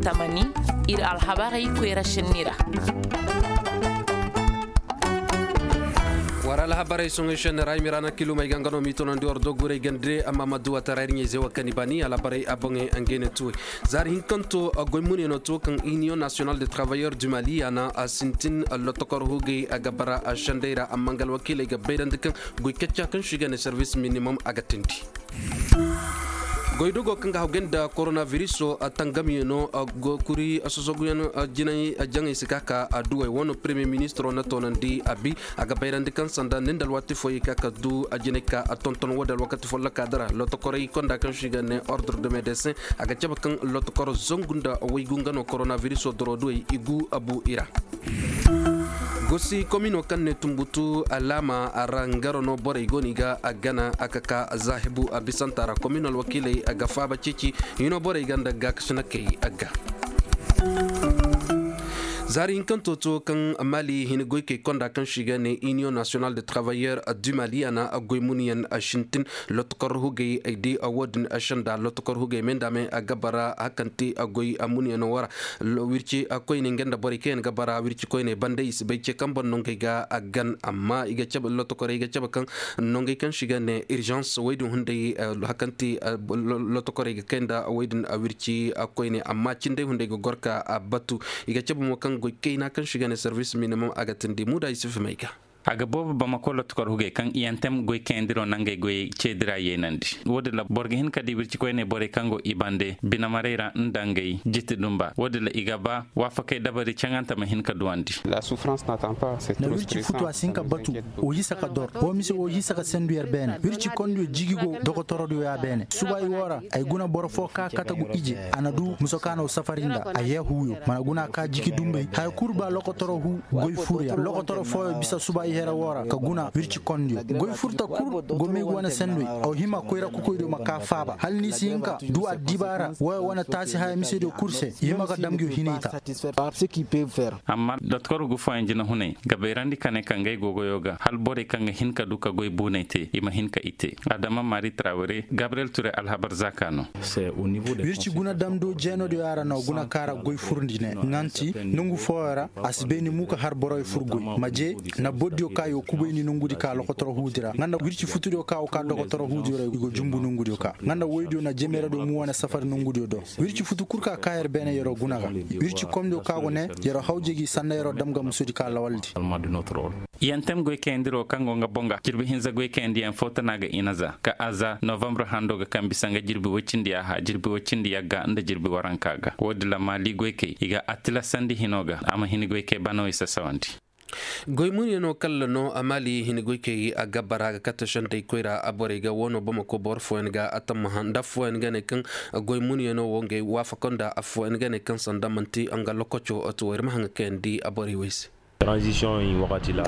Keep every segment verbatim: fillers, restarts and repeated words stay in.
Tamani, ir alhabarey koyra šenni ra. War alhabarey soŋey šenni ra ay mira na kilumey ga nga no m'i tonandi war doguray gande amma ma duwa tara ir ɲey zewa kani bani alhabarey a boŋey. Ngey ne tuwey zaari hinkanto goy muniyano to kaŋ union national de travailleur du mali a na a sintin lotokor hugey a ga bara a šendey ra amma nga alwakiiley ga bayrandi kaŋ goy kacca kaŋ si ga ne service minimum a ga tindi. Goydogo kaŋ ga hawgay nda koronabiriso tangamyaŋo, kuri sosoguyaŋ jinay jaŋay si ka ka adduwey wano premier ministro na toonandi a bi. A ga bayrandi kaŋ sanda nin da alwaati fooyey ka ka du jinay ka a tonton wo da alwakati folloka dara lotokorey konda kaŋ si ga ne ordre de médecin. A ga cabe kaŋ lotokoro zangu nda waygu nga no koronabiriso doroduwey i gu a bu i ra. Gosi komino kaŋ ne tumbutu alaama a ra ngaro no borey go no i ga a gana a ka ka zaahibu a bisanta ra komino alwakiiley a ga faaba ceeci hino borey ga nda gaakasinakey a ga. Zaari hinkanto to kaŋ mali hini goykey konda kaŋ si ga ne union national de travailleur du mali a na goy munyaŋ sintin lotokor hugey ay di wo-din senda lotokor hugey me nda me a ga bara hakanti goy munyaŋo wara. Wirci koyne nga nda borey kaŋ yaŋ ga bara wirci koyne banda i si bay ce kaŋ boŋ nongey ga a gan amma i ga cabe lotokorey i ga cabe kaŋ nongey kaŋ si ga ne urgence woy din hunday hakanti lotokorey ga kay nda woy din wirci koyne amma cindey hunday ga gor ka batu. I ga cabe mo kaŋ goy kayna kaŋ si ga ne service minimum a ga tindi muda i si fimay ga. A ga boobo bamako lotokor hugey kaŋ iyantem goy kayandiro nangey goyey ceedira yeenandi. Wo-din ra boro ga hin ka di wirci koyney borey kaŋ go i bande binamaray ra nda ngey jiti dumba wo-din ra i ga ba waafakey dabari caŋante ma hin ka duwandi. Na wirci futu a si hin ka batu. Wo hisa ka dor wo mise wo hisa ka sendu yer beene wirci kondiyo jigi go dokotorodiyo ya beene suba i wo ra. Ay guna boro fo ka katagu ije a na du musokaano safari nda a yee huuyo mana guna ka jiki dumbey haya kul ba lokotoro huu goy furya lokotoro fooyo bisa suba i here woo ra ka guna wirci kondiyo goy furta kul go may go wane sendoy. Aw hima koyra kokoydiyo ma ka faaba hala ni si hin ka du addibaara wooyo wane taasi haya misediyo kul se i hima ka dam nguyo hinay ta. Amma dotkor gu fooyaŋ jinahunay ga bayrandi ka ne ka ngey gogoyo ga hala borey kaŋ ga hin ka du ka goy buunay te i ma hin ka i te. Adama mari trawere gabriyel ture alhabar zaaka no. Wirci guna damdo jeenodiyo yaŋ ra no guna kaŋ a ra goy furndi ne ŋanti nongu fooyaŋ ra. A si bay ni mu ka har boroyo fur goy maje na bordiyo kaŋ i go kubayndi nongudi ka lokotoro huudi ra nga nda wirci futudiyo kaŋ a go ka dokotoro huudiyo ra i go jumbu nongudiyo ka nga nda woydiyo na jemeradiyo mu wane safari nongudiyo do. Wirci futu kul ka ka yer beene yer'o guna ga. Wirci komdiyo kaŋ a go ne yer'o hawjay g'i sanda yer'o dam ga musudi ka lawaldi. Yantem goy kayandiro kaŋ go nga boŋ ga jirbi hinza goy kayandiyaŋ fo tana ga inaza ka aza novambre hando ga kaŋ bisa nga jirbi woy cindi yaaha jirbi woy cindi yagga nda jirbi waranka ga woodin ra maali goykey i ga a tilasandi hino ga a ma hini goykey banawey sasawandi. Goy munyano kalla no a maali hini goykey a gabara ga katta shandey koyra a borey ga woono bamako boro fooyaŋ ga a tammaha nda affooyaŋ ga ne kaŋ goy munyano wo ngey waafako nda affooyaŋ ga ne kaŋ sanda manti nga lokoco. To ir ma haŋa kayandi a borey wey se. Ay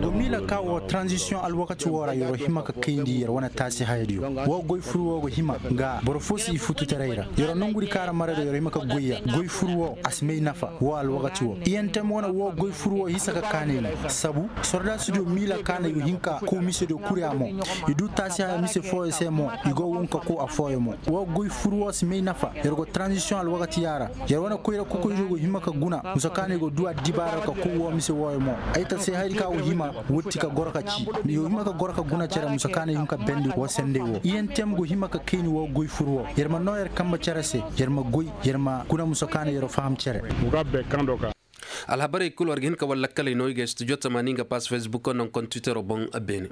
go miila ka wo tranzisiyoŋ alwakati wo ra yer'o hima ka kayndi yer wane taasi hayadiyo. Wo goy fur wo go hima ga boro fo si i futu taray ra yer'o nongudi kaŋ ra marayra yer'o hima ka goy ya goy fur wo a si may nafa. Wo alwakati wo iyantem wane wo goy fur wo hisa ka kaanay no. Sabu sordaasidiyo miila kaanay go hin ka kow misediyo kul ya mo. I du taasi haya mise fooyo se mo i go wun ka kow affooyo mo. Wo goy fur wo si may nafa yer go tranzisiyoŋ alwakati ya ra. Yer wane koyra kokoydiyo go hima ka guna musa kaanay go du addibaara ka kow wo mise wooyo mo. Ay ta se hayadi kaŋ a go hima wotti ka goro ka ci. Yo hima ka goro ka guna cere musa kaanay hin ka bendi wo sendey wo iyantem go hima ka kayni wo goy fur wo yer ma noo yer kambe cere se. Yer ma goy yer ma guna musa kaanay yer'o faham cere. Alhabarey kul war ga hin ka war lakkaley no i ga studio tamaani nga pass facebook no nga kontwitero boŋ. Beene.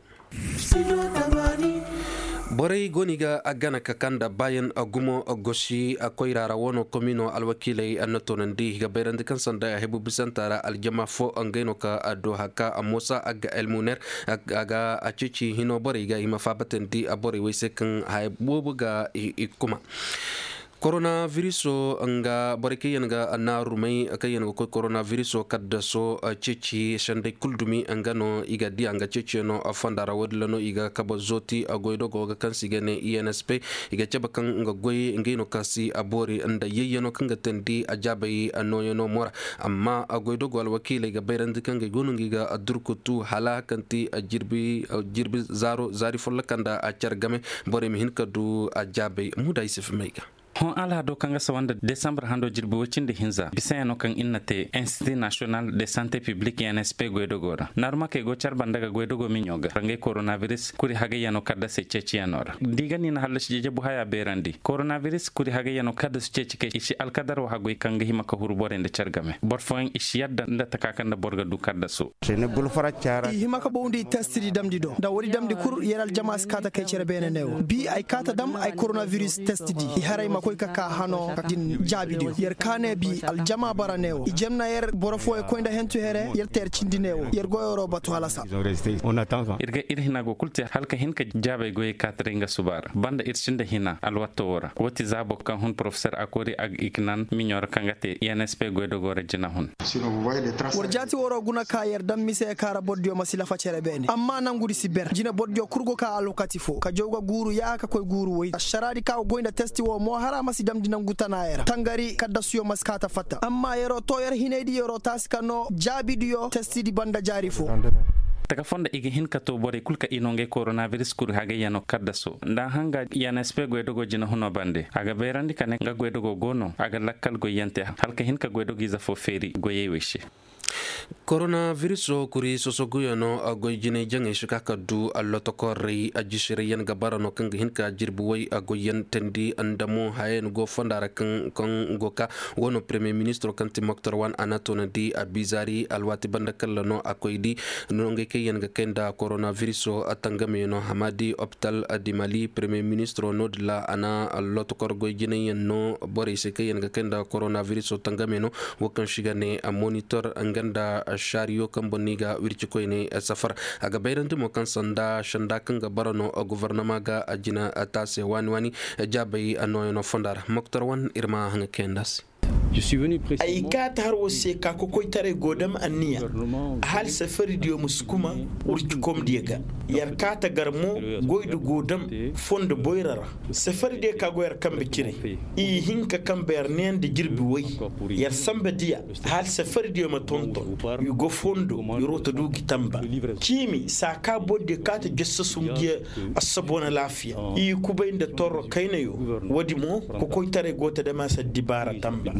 Borey go no i ga a gana ka kaa nda baayan gumo gosi koyra ra wano komino alwakiiley a na toonandi i ga bayrandi kaŋ sanda hebu bisanta ra aljama fo ngey no ka do haka moosa a ga elmuner. A ga a ceeci hino borey ga i ma faabatandi borey wey se kaŋ haya boobo ga i kuma. Koronabiriso nga borey kaŋ yaŋ ga naarumey kaŋ yaŋ ga koy koronabiriso kaddaso ceeci sendey kul dumi nga no i ga di a nga ceeciyaŋo fonda ra woodin ra no i ga kabe zooti goydogo ga kaŋ se i ga ne i n s p. I ga cabe kaŋ nga goy ngey no kaŋ si a boori nda yayyaŋo kaŋ ga teendi a jaabay nooyaŋo mo ra. Amma goydogo alwakiiley ga bayrandi kaŋ ngey go no nga i ga durkutu hala kaŋ ti jirbi zaaro zaari folloka nda a care game. Borey ma hin ka du a jaabay muda i si fimay ga. Hõ alhado kaŋ ga sawa nda desambar hando jirbi woy cindi hinza bisayaŋo kaŋ ir na te institut national de sante piblik nsp goydogoo ra narmakey go care banda ga goydogoo miɲo ga rangey koronabiris kuri hagayyaŋo kaddasey ceeciyaŋo ra da i ga ni na hallasi jejebu haya beerandi koronabiris kuri hagayyaŋo kaddasu ceeci kay i si alkadar wa hagoy kaŋ ga hima ka huru borey nda care game boro fooyaŋ i si yadda nda taka kaŋ nda boro ga du kaddaso. I hima ka bawndi testidi damdi do nda woodi damdi kul yer aljama si kaata kay cere beene ne wo bi ay kaata dam ay koronabiris testidi i haray ma koy ka ka hano din jaabidiyo yer kaane bi aljama bara ne wo i jemna yer boro fooyo koy nda hentu here yer te yer cindi ne wo yer goyoro batu halasa. Ir ga ir hina go kul te hala ka hin ka jaabay goyey kaataray nga suba ra banda ir sinda hina alwatto wo ra wo ti zaabo kaŋ hun porofesor akori ag iknan miɲo ra kaŋ ga te insp goydogoo ra jina hun. War jaati waroo guna ka yer daŋ mise ka ra bordiyo ma si lafa cere beene amma nangudi si ber jine bordiyo kul go ka alwakati fo ka jaw ga guuru ya ka koy guuru woy ašaraadi ka go goy nda testi wo mo hara ma si damndi nangu tanaayey ra tangari kaddasuyo ma si kaata fatta amma yeroo too yer hinaydi yeroo taasi ka noo jaabidiyo testidi banda jaari fo. Taka foo nda i ga hin ka too borey kul ka i noo ngey koronabiris kuri hagayyanoo kaddasoo nda a hanga yanespe goydogoo jinahunoo bande a ga bayrandi ka ne nga goydogoo go no a ga lakkal goyyante hala ka hin ka goydogiize foo feeri goyey wey se. Koronabirisoo kuri sosoguyanoo goy jinay jaŋey si ka ka du allotokorey ajisirayyaŋ ga bara no kaŋ ga hin ka jirbi way goyyaŋ teendi nda mo hayayaŋ go fonda ra kaŋ go ka wano premiyer ministiroo kaŋ ti moktor wan a na toonandi a bizaari alwaati banda kalla no a koy di nongey kaŋ yaŋ ga kay nda koronabirisoo tangamey no hamaadi opital dimali premiyer ministiroo no-din ra a na allotokor goy jinayyaŋ no borey se kaŋ yaŋ ga kay nda koronabirisoo tangamey no wo kaŋ si ga ne monitor nga nda šariyo kaŋ boŋ no i ga wirci koyne safar. A ga bayrandi mo kaŋ sanda sanda kaŋ ga bara no gofornama ga a jina taase waani waani jaabay nooyanoo fonda ra moktor wan ir ma haŋa kayandi a se. Ay kaata har war se ka kokoytaray go dam anniya hala safaridiyo ma si kuma wurcikomdiyo ga. Yer kaata gar mo goydi go dam fondo boyra ra. Safaridiyo ka go yer kambe cire i hin ka kambe yer neeya nda jirbi way. Yer samba diya hala safaridiyo ma tonton i go fondo i roota du gi tamba. Ciimi saa ka bordiyo kaata jossasum diya assabona laafiya i kubay nda torro kaynayo. Woodi mo kokoytaray go ta dama sa dibaara tamba.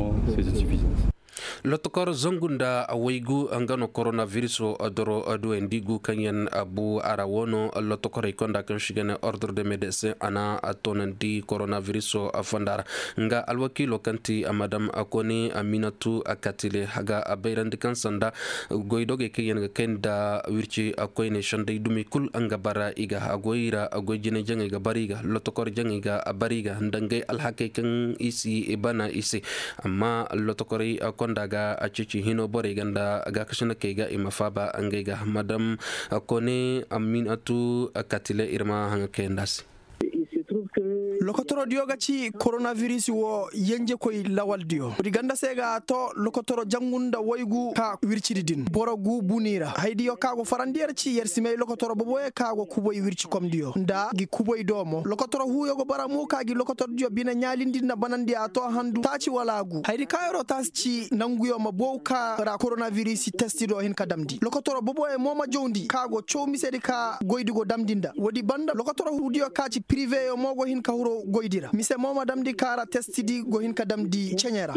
Lotokor zangu nda waygu nga no koronabirisoo doro duwayandi gu kaŋ yaŋ bu a ra wo no lotokorey konda kaŋ si ga ne ordre de médecin a na toonandi koronabirisoo fonda ra. Nga alwakiiloo kaŋ ti madam kone aminatu katile haga bayrandi kaŋ sanda goydogey kaŋ yaŋ ga kay nda wirci koyney sendey dumi kul nga bara i ga a goy ra goy jinay jaŋey ga bara i ga lotokor jaŋey ga bara i ga nda ngey alhakey kaŋ i si bana i se. Amma lotokorey konda ga a ceeci hino borey ga nda gaakasinakey ga i ma faaba ngey ga madam kone aminatu katile ir ma haŋa kayandi a se. Lokotorodiyo ga ci koronabiris wo yenjekoy lawaldiyo woodi ganda se ga to lokotoro jangu nda waygu ka wircidi din boro gu buni ra haydiyo ka go farandi yer ci yer si may lokotoro boboyo ka go kuboy wircikomdiyo nda gi kuboy do mo lokotoro huuyo go bara mu ka gi lokotordiyo bine ɲaalindi nda banandi a to handu taaci wala gu haydi ka yeroo taasi ci nanguyo ma bow ka ra koronabiris testido hin ka damndi lokotoro boboyo mo ma jawndi ka go caw misedi ka goydi go damndi nda woodi banda lokotoro huudiyo ka ci piriveyo mo go hin ka huru goydi ra mise mo ma damndi ka ra testidi go hin ka damndi ceɲe ra.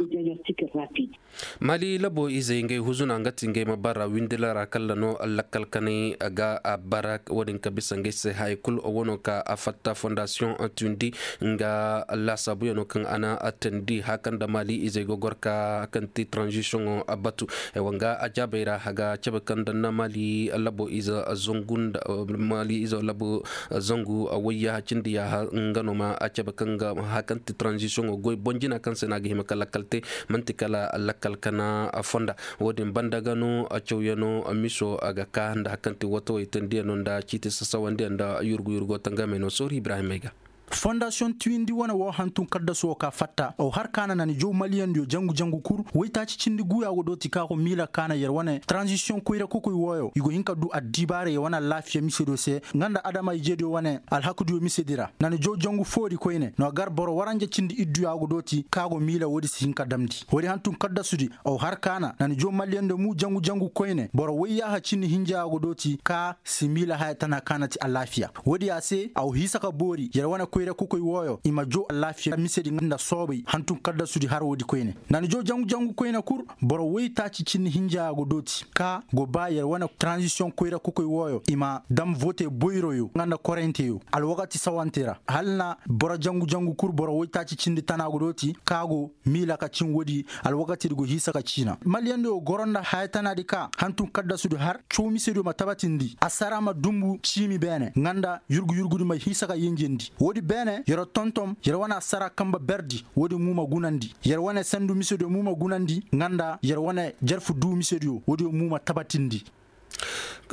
Mali labo izey ngey huzuna nga ti ngey ma bara windila ra kalla no lakkal kanay ga a bara wo-din ka bisa ngey se haya kul wo no ka a fatta fondasiyoŋ tundi nga laasaabuyaŋo kaŋ a na a teendi haka nda mali izey ga gor ka kaŋ ti tranzisiyoŋo batu. Wanga a jaabey ra a ga cabe kaŋ nda na mali labo ize zangu nda mali ize labo zangu wayya cindi yaaha nga no ma a cabe kaŋ ga haka nda ti tranzisiyoŋo goy boŋ jina kaŋ se no a ga hima ka lakkal te man'ti kala lakkal kana fonda. Wo-din banda ga no cawyaŋo miso a ga ka nda haka nda ti watawey teendiyaŋo nda ciiti sasawandiyaŋ nda yurgu yurgo tangamey no sooru ibrahimey ga. Fondasiyoŋ tiwindi wane wo hantum kaddasu wo ka fatta aw har kaana na ni jaw maliyandiyo jangu jangu kul waytaaci cindi guya go dooti ka go miila kaana yer wane tranzisiyoŋ koyra kokoy wooyo i go hin ka du addibaara yer wane alaafiya misediyo se nga nda adama-ijediyo wane alhakudiyo misedi ra na ni jaw jangu foori koyne no gar boro waranja cindi idduya go dooti ka go miila woodi si hin ka damndi woodi hantum kaddasudi aw har kaana na ni jaw maliyandiyo mu jangu jangu koyne boro wayyaaha cindi hinjaya go dooti ka si miila haya tana kaana ti alaafiya. Woodiya se aw hiisa ka boori yer wane koyra kokoy wooyo i ma joo alaafiya misedi nda soobay hantum kaddasudi har woodi koyne. Nda ni joo jangu jangu koyne kul, boro woytaaci cindi hinja go dooti ka go ba yer wane taranzisiyoŋ koyra kokoy wooyo i ma dam vote boyroyo nga nda koraynteyoo alwakati sawante ra. Hala na boro jangu jangu kul boro woytaaci cindi tana go dooti ka go miila ka cin woodi. Alwakatidi go hiisa ka ciina malyandiyo goro nda haya tanaadi ka hantum kaddasudi har caw misediyo ma tabatindi asara ma dumbu ciimi beene nga nda yurgu yurgudi ma hiisa ka yenjendi. Woodi beene yer tonton yer wane asara kanba berdi woodi mu ma gunandi yer wane sandu misediyo mu ma gunandi nga nda yer wane jarfu duu misediyo woodiyo mu ma tabatindi.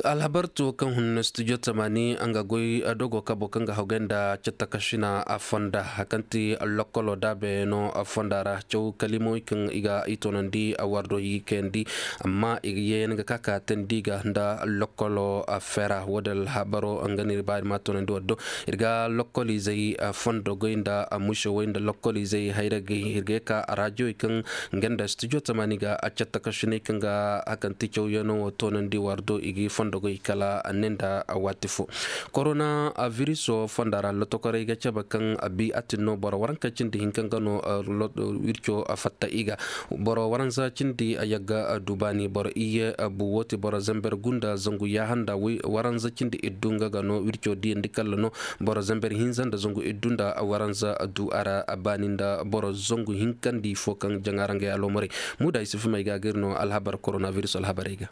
Alhabar to kaŋ hun studio tamani nga goy dogo kabo kaŋ ga hawgay nda catta kasina a fonda kaŋ ti lokolo daabe no a fonda ra caw kalimawey kaŋ i ga i tonandi a wardo i kayandi. Amma i ga yeeyan ga ka ka tandi ga nda lokolo a fera wo da alhabaro nga no ir ba ir ma tonandi war do. Ir ga lokoliizey fondo goy nda a musewey nda lokoliizey hayragey ir ga ye ka a raajiyowey kaŋ nga nda studio tamani ga a catta kasiney kaŋ ga hakanti cawyaŋo wo tonandi war do i ga i fondo goy kala a ne nda waati fo. Korona viriso fonda ra lotokorey ga cabe kaŋ a bi a tin no boro waranka cindi hinka nga no wirco a fatta i ga. Boro waranza cindi a yagga a du baani boro iyye a bu woo ti boro zamber gu nda zangu yaaha nda waranza cindi iddu nga ga no wirco diyandi kalla no. Boro zamber hinza nda zangu iddu nda a waranza a du a ra a baani nda boro zangu hinkandi fo kaŋ jaŋa ra nga ya loomorey. Muuda isufu may ga ga ir no alhabar koronabiris alhabarey ga.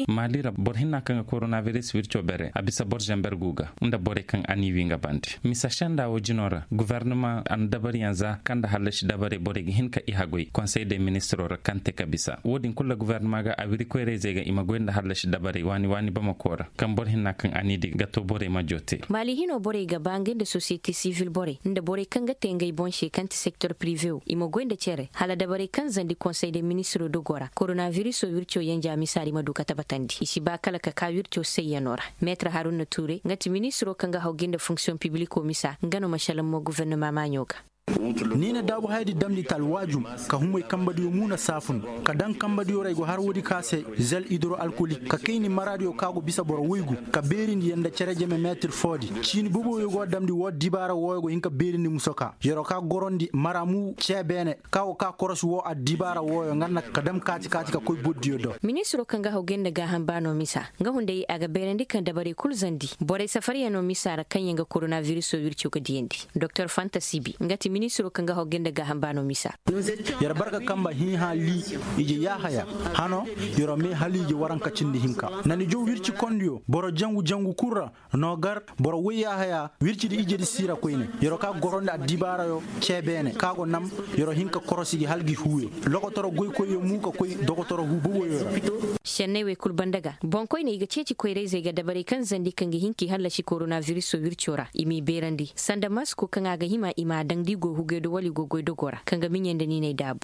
Maali ra boro hinna kaŋ ga koronabiris wirco bere a bisa boro zamber gu ga nda borey kaŋ a n'i wi nga bande misa senda wo jino ra gubernama a na dabariyaŋ za kaŋ nda hallasi dabarey borey ga hin ka i haggoy konsey de ministiro ra kaŋ te ka bisa wo- din kulu ra gubernama ga a wiri koyrayzey ga i ma goy nda hallasi dabarey waani waani bamako ra kaŋ boro hinna kaŋ a n'i di ga to borey ma joo te. Maali hino borey ga ba ngey nda sosiyete sivil borey nda borey kaŋ ga te ngey boŋ se kaŋ ti sektor pirive wo i ma goy nda cere hala dabarey kaŋ zandi konsey de ministiro dogo ra koronabiriso wirco yanja misaari ma du ka tabatandi i si ba kala ka ka wirco sayyano ra. Meetir haruna tuure nga ti ministiro kaŋ ga hawgay nda fonksiyoŋ pibiliko misa nga no ma salaŋ mo gubernama maaɲo ga. Ni na daabu hayadi damndi ta alwaajum ka humay kambadiyo muuna saafun ka daŋ kambadiyo ra ay go har woodi ka se zel idoro alkolik ka kayni maraadiyo ka go bisa boro woygu ka beerindi yanda cere jeme meetir foodi ciini boboyo go damndi woo dibaara wooyo go hin ka beerindi musoka yero ka gorondi mara mu cee beene ka go ka korosi woo addibaara wooyo nga na ka dam kaati kaati ka koy boddiyo do. Ministiro kaŋ ga haw gay nda gaaham baano misa nga hunday a ga beerandi kaŋ dabarey kul zandi borey safaryaŋo misa ra kaŋ yaŋ ga koronabiriso wirco ga diyandi. Doktor fanta sibi nga ti ministiro kaŋ ga haw gay nda gaaham baano misa. Yer barka kamba hiiha lii ije yaahaya hano yer mee haliije waranka cindi hinka nani jow wirci kondiyo boro jangu jangu kul ra no gar boro woy yaahaya wircidi ijedi siira koyne. Yer ka gorondi addibaarayo cee beene ka go nam yer hin ka korosi gi hala gi huuyo lokotoro goykoyyo mu ka koy dokotoro huu boboyo ra. Senney wey kul banda ga boŋkoyne i ga ceeci koyrayzey ga dabarey kaŋ zandi kaŋ ga hin k'i hallasi koronabiriso wirco ra i m'i beerandi sanda masko kaŋ a ga hima i m'a daŋ da i go hugay do wala i go goy dogo ra kaŋ ga miɲey nda niiney daabu.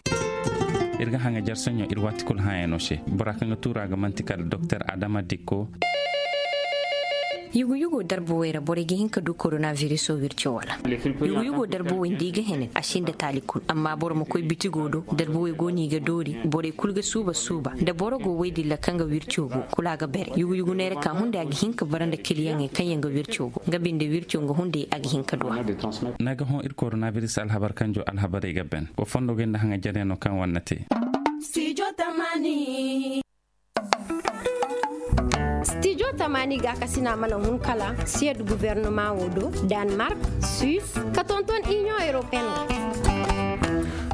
Ir ga haŋa jarsaɲo ir waati kul hãyano se bora kaŋ ga tuura ga man'ti kala doktor adama dikko. Yugu-yugo darbawey ra borey ga hin ka du koronabiriso wirco wala? Yugu-yugo darbawey nda i ga hene a si nda taali kul amma boro ma koy bitigo do. Darbawey go no i ga doori borey kul ga suuba suuba nda boro go woydin ra kaŋ ga wirco go kul a ga bere yugu-yugu neera ka hunday a ga hin ka bara nda kiliyaŋey kaŋ yaŋ ga wirco go nga binde wirco nga hunday a ga hin ka duwa. Ni ga hõ ir koronabiris alhabar kanjo alhabarey ga ben wa fondo ga nda haŋa jaryaŋo kaŋ wane na te. Stijo tamani ga kasina mana hun kala siyad gubernama wo do, danmark, suis ka tonton inion europeen wo.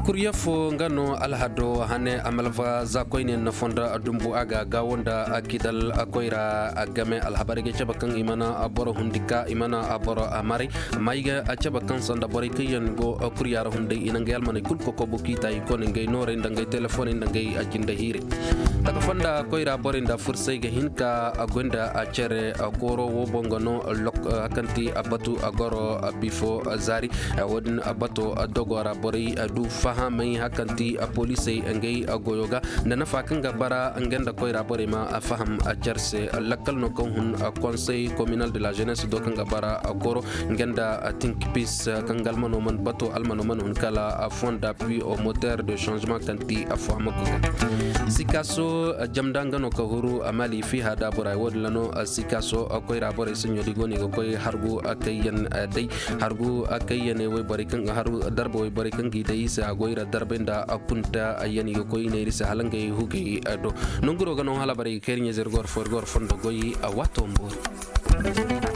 Kurya fo nga no alhado hane amalfa za koyne na fondo dumbu a ga gawo nda kidal koyra a game alhabarey ga cabe kaŋ i mana boro hundi ka i mana boro a maray. Amma i ga a cabe kaŋ sanda borey kaŋ yaŋ go kurya ra hunday i na ngey almaney kul kokobu k'i ta i kone ngey noorey nda ngey telefoney nda ngey a jinde hiirey. Taka fonda koyra borey nda fursay ga hin ka a goy nda a cere kooro wo boŋ ga no kaŋ ti a batu a goro bifo zaari. Wo-din bato dogo ra borey du fa Haamay hakanti poliisey ngey goyo ga nda nafa kaŋ ga bara nga nda koyra borey ma faham. Care se lakkal no kaŋ hun konsey kominal de la jenes do kaŋ ga bara koro nga nda tinkpis kaŋ ga almano man bato almano man hun kala fonda pui au moteur de changement kaŋ ti faham ga. Sikaso jamda nga no ka huru mali fiha da boray wo- din ra no. Sikaso koyra borey saɲo di go no i ga koy hargu kayyan day hargu kayyan wayborey kaŋ ga haru darba wayborey kaŋ ga i day i se a goy ra darbay nda kunta yan i ga koy i ne ir se hala ngey hugey do. Nonguro ga no hala barey ga kay ir ɲeeze ir goro fo ir goro fondo goy a waato ma boori.